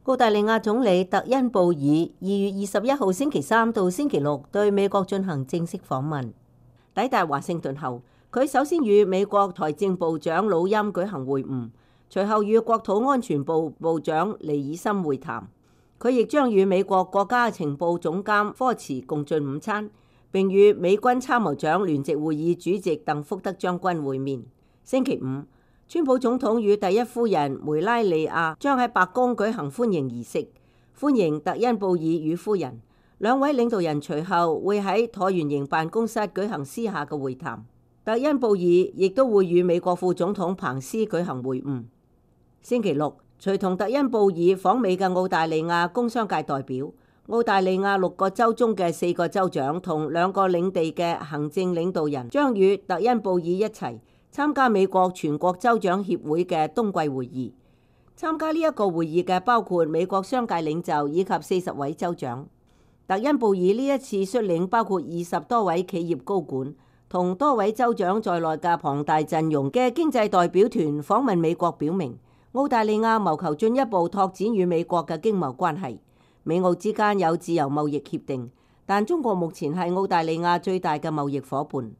澳大利亞總理特恩布爾2月21號星期三到星期六對美國進行正式訪問。抵達華盛頓後，佢首先與美國財政部長魯欽舉行會晤，隨後與國土安全部部長尼爾森會談。佢亦將與美國國家情報總監科茨共進午餐，並與美軍參謀長聯席會議主席鄧福德將軍會面。星期五，川普總統與第一夫人梅拉尼亞將喺白宮舉行歡迎儀式，歡迎特恩布爾與夫人。兩位領導人隨後會喺橢圓形辦公室舉行私下嘅會談。特恩布爾亦都會與美國副總統彭斯舉行會晤。星期六，隨同特恩布爾訪美嘅澳大利亞工商界代表、澳大利亞6個州中嘅4個州長同2個領地嘅行政領導人將與特恩布爾一齊參加美國全國州長協會嘅冬季會議。參加呢一個會議嘅包括美國商界領袖以及40位州長。特恩布爾呢一次率領包括20多位企業高管同多位州長在內嘅龐大陣容嘅經濟代表團訪問美國，表明澳大利亞謀求進一步拓展與美國嘅經貿關係。美澳之間有自由貿易協定，但中國目前係澳大利亞最大嘅貿易夥伴。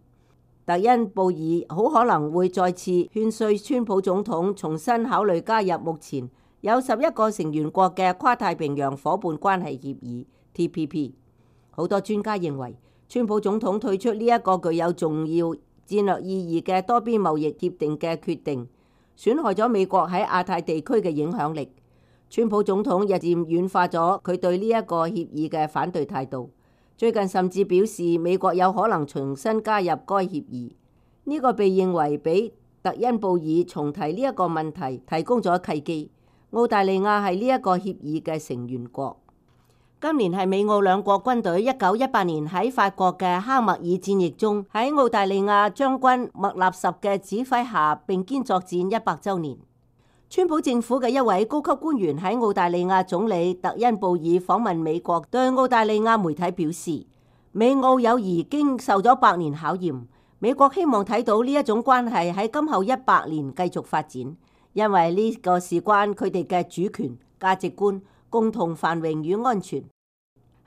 特恩布爾好可能會再次勸說川普總統重新考慮加入目前有11個成員國嘅跨太平洋夥伴關係協議 TPP。好多專家認為，川普總統退出呢一個具有重要戰略意義嘅多邊貿易協定嘅決定，損害咗美國喺亞太地區嘅影響力。川普總統日漸軟化咗佢對呢一個協議嘅反對態度。最近甚至表示美國有可能重新加入該協議，呢個被認為俾特恩布爾重提呢一個問題提供咗契機。澳大利亞係呢一個協議嘅成員國。今年係美澳兩國軍隊1918年喺法國嘅哈默爾戰役中喺澳大利亞將軍麥納什嘅指揮下並肩作戰100週年。川普政府嘅一位高級官員喺澳大利亞總理特恩布爾訪問美國，對澳大利亞媒體表示，美澳友誼經受咗100年考驗，美國希望睇到呢一種關係喺今後100年繼續發展，因為呢個事關佢哋嘅主權、價值觀、共同繁榮與安全。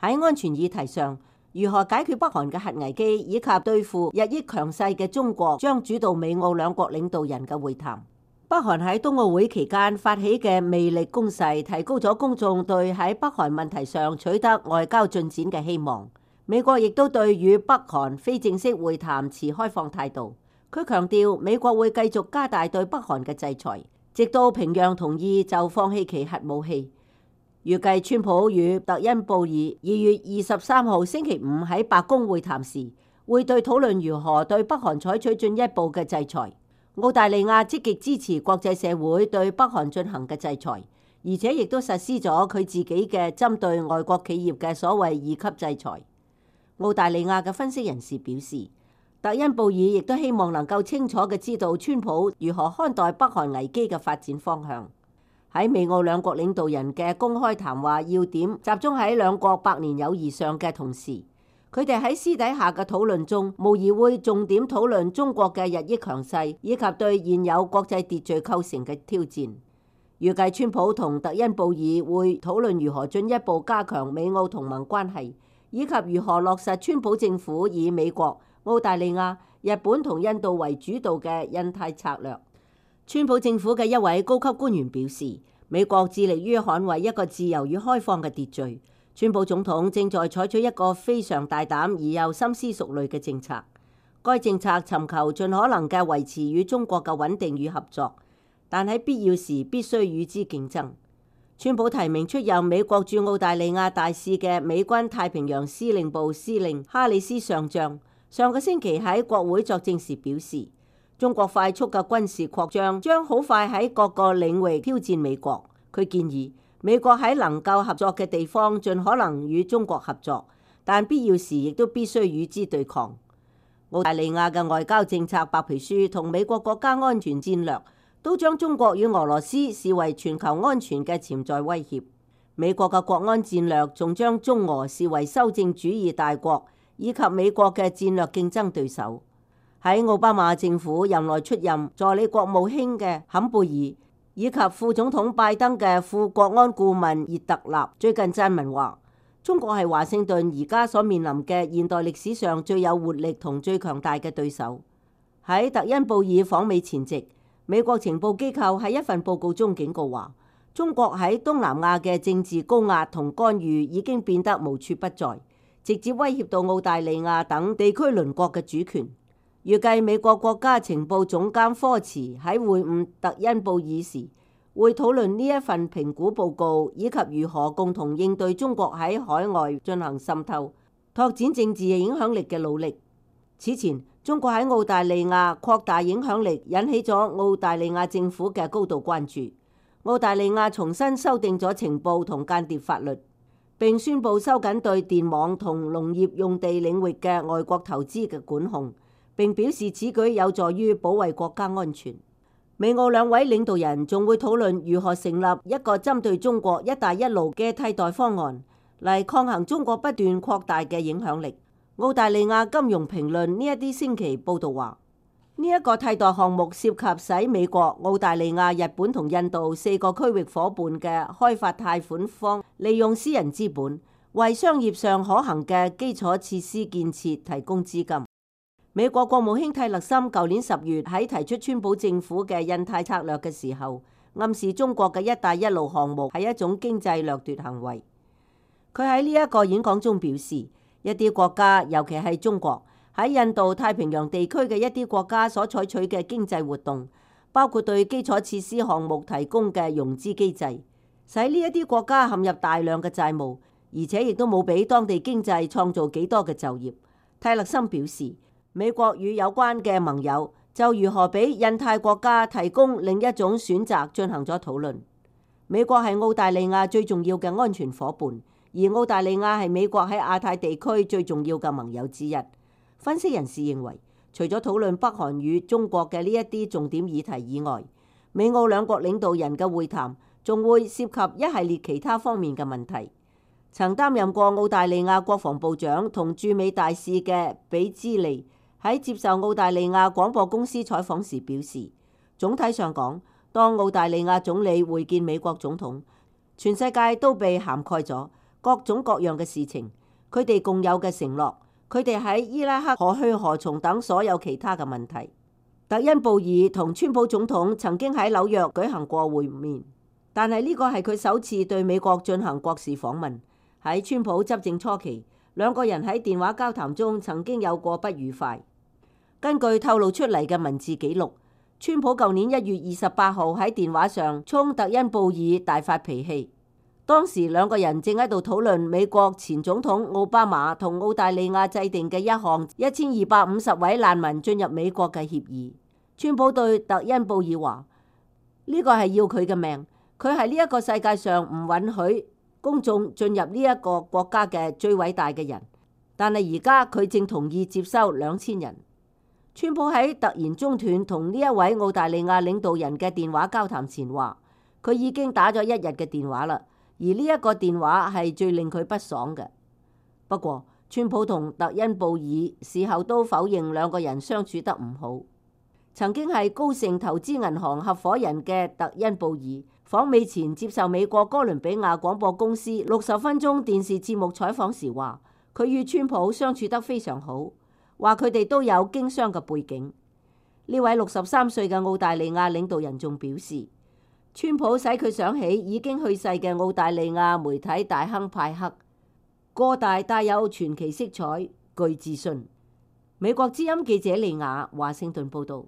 喺安全議題上，如何解決北韓嘅核危機以及對付日益強勢嘅中國，將主導美澳兩國領導人嘅會談。北韓喺冬奧會期間發起嘅魅力攻勢，提高咗公眾對喺北韓問題上取得外交進展嘅希望。美國亦都對與北韓非正式會談持開放態度。佢強調美國會繼續加大對北韓嘅制裁，直到平壤同意就放棄其核武器。預計川普與特恩布爾2月23號星期五喺白宮會談時，會對討論如何對北韓採取進一步嘅制裁。澳大利亞積極支持國際社會對北韓進行嘅制裁，而且亦都實施咗佢自己嘅針對外國企業嘅所謂2級制裁。澳大利亞嘅分析人士表示，特恩布爾亦都希望能夠清楚嘅知道川普如何看待北韓危機嘅發展方向。喺美澳兩國領導人嘅公開談話要點集中喺兩國百年友誼上嘅同時，佢哋喺私底下嘅討論中，無疑會重點討論中國嘅日益強勢，以及對現有國際秩序構成嘅挑戰。預計川普同特恩布爾會討論如何進一步加強美澳同盟關係，以及如何落實川普政府以美國、澳大利亞、日本同印度為主導嘅印太策略。川普政府嘅一位高級官員表示，美國致力於捍衛一個自由與開放嘅秩序。川普總統正在採取一個非常大膽而又深思熟慮嘅政策。該政策尋求盡可能嘅維持與中國嘅穩定與合作，但喺必要時必須與之競爭。川普提名出任美國駐澳大利亞大使嘅美軍太平洋司令部司令哈里斯上將，上個星期喺國會作證時表示，中國快速嘅軍事擴張將好快喺各個領域挑戰美國。佢建議美國喺能夠合作嘅地方盡可能與中國合作，但必要時亦都必須與之對抗。澳大利亞嘅外交政策白皮書同美國國家安全戰略都將中國與俄羅斯視為全球安全嘅潛在威脅。美國嘅國安戰略仲將中俄視為修正主義大國以及美國嘅戰略競爭對手。喺奧巴馬政府任內出任助理國務卿嘅坎貝爾以及副總統拜登嘅副國安顧問熱特納最近撰文話，中國係華盛頓而家所面臨嘅現代歷史上最有活力同最強大嘅對手。喺特恩布爾訪美前夕，美國情報機構喺一份報告中警告話，中國喺東南亞嘅政治高壓同干預已經變得無處不在，直接威脅到澳大利亞等地區鄰國嘅主權。預計美國國家情報總監科茨喺會晤特恩布爾時，會討論呢一份評估報告，以及如何共同應對中國喺海外進行滲透、拓展政治影響力嘅努力。此前，中國喺澳大利亞擴大影響力，引起咗澳大利亞政府嘅高度關注。澳大利亞重新修訂咗情報同間諜法律，並宣布收緊對電網同農業用地領域嘅外國投資嘅管控，並表示此舉有助於保衛國家安全。美澳兩位領導人仲會討論如何成立一個針對中國「一帶一路」嘅替代方案，嚟抗衡中國不斷擴大嘅影響力。澳大利亞金融評論呢一啲星期報道話，呢一個替代項目涉及使美國、澳大利亞、日本同印度4個區域夥伴嘅開發貸款方利用私人資本，為商業上可行嘅基礎設施建設提供資金。美國國務卿蒂勒森舊年10月喺提出川普政府嘅印太策略嘅時候，暗示中國嘅一帶一路項目係一種經濟掠奪行為。佢喺呢一個演講中表示，一啲國家，尤其係中國，喺印度太平洋地區嘅一啲國家所採取嘅經濟活動，包括對基礎設施項目提供嘅融資機制，使呢一啲國家陷入大量嘅債務，而且亦都冇俾當地經濟創造幾多嘅就業。蒂勒森表示，美國與有關嘅盟友就如何俾印太國家提供另一種選擇進行咗討論。美國係澳大利亞最重要嘅安全夥伴，而澳大利亞係美國喺亞太地區最重要嘅盟友之一。分析人士認為，除咗討論北韓與中國嘅呢一啲重點議題以外，美澳兩國領導人嘅會談仲會涉及一系列其他方面嘅問題。曾擔任過澳大利亞國防部長同駐美大使嘅比茲利喺接受澳大利亞廣播公司採訪時表示，總體上講，當澳大利亞總理會見美國總統，全世界都被涵蓋咗各種各樣嘅事情，佢哋共有嘅承諾，佢哋喺伊拉克何去何從等所有其他嘅問題。特恩布爾同川普總統曾經喺紐約舉行過會面，但係呢個係佢首次對美國進行國事訪問。喺川普執政初期，兩個人喺電話交談中曾經有過不愉快。根據透露出嚟嘅文字記錄，川普舊年1月28號喺電話上衝特恩布爾大發脾氣。當時兩個人正喺度討論美國前總統奧巴馬同澳大利亞制定嘅一項1250位難民進入美國嘅協議。川普對特恩布爾話：呢個係要佢嘅命，佢係呢一個世界上唔允許公眾進入呢一個國家嘅最偉大嘅人，但係而家佢正同意接收2000人。川普喺突然中斷同呢一位澳大利亞領導人嘅電話交談前話，佢已經打咗1日嘅電話啦，而呢一個電話係最令佢不爽嘅。不過，川普同特恩布爾事後都否認兩個人相處得唔好。曾經係高盛投資銀行合夥人嘅特恩布爾訪美前接受美國哥倫比亞廣播公司60分鐘電視節目採訪時話，佢與川普相處得非常好，話佢哋都有經商嘅背景。呢位63歲嘅澳大利亞領導人仲表示，川普使佢想起已經去世嘅澳大利亞媒體大亨派克，個大帶有傳奇色彩，具自信。美國之音記者利亞華盛頓報道。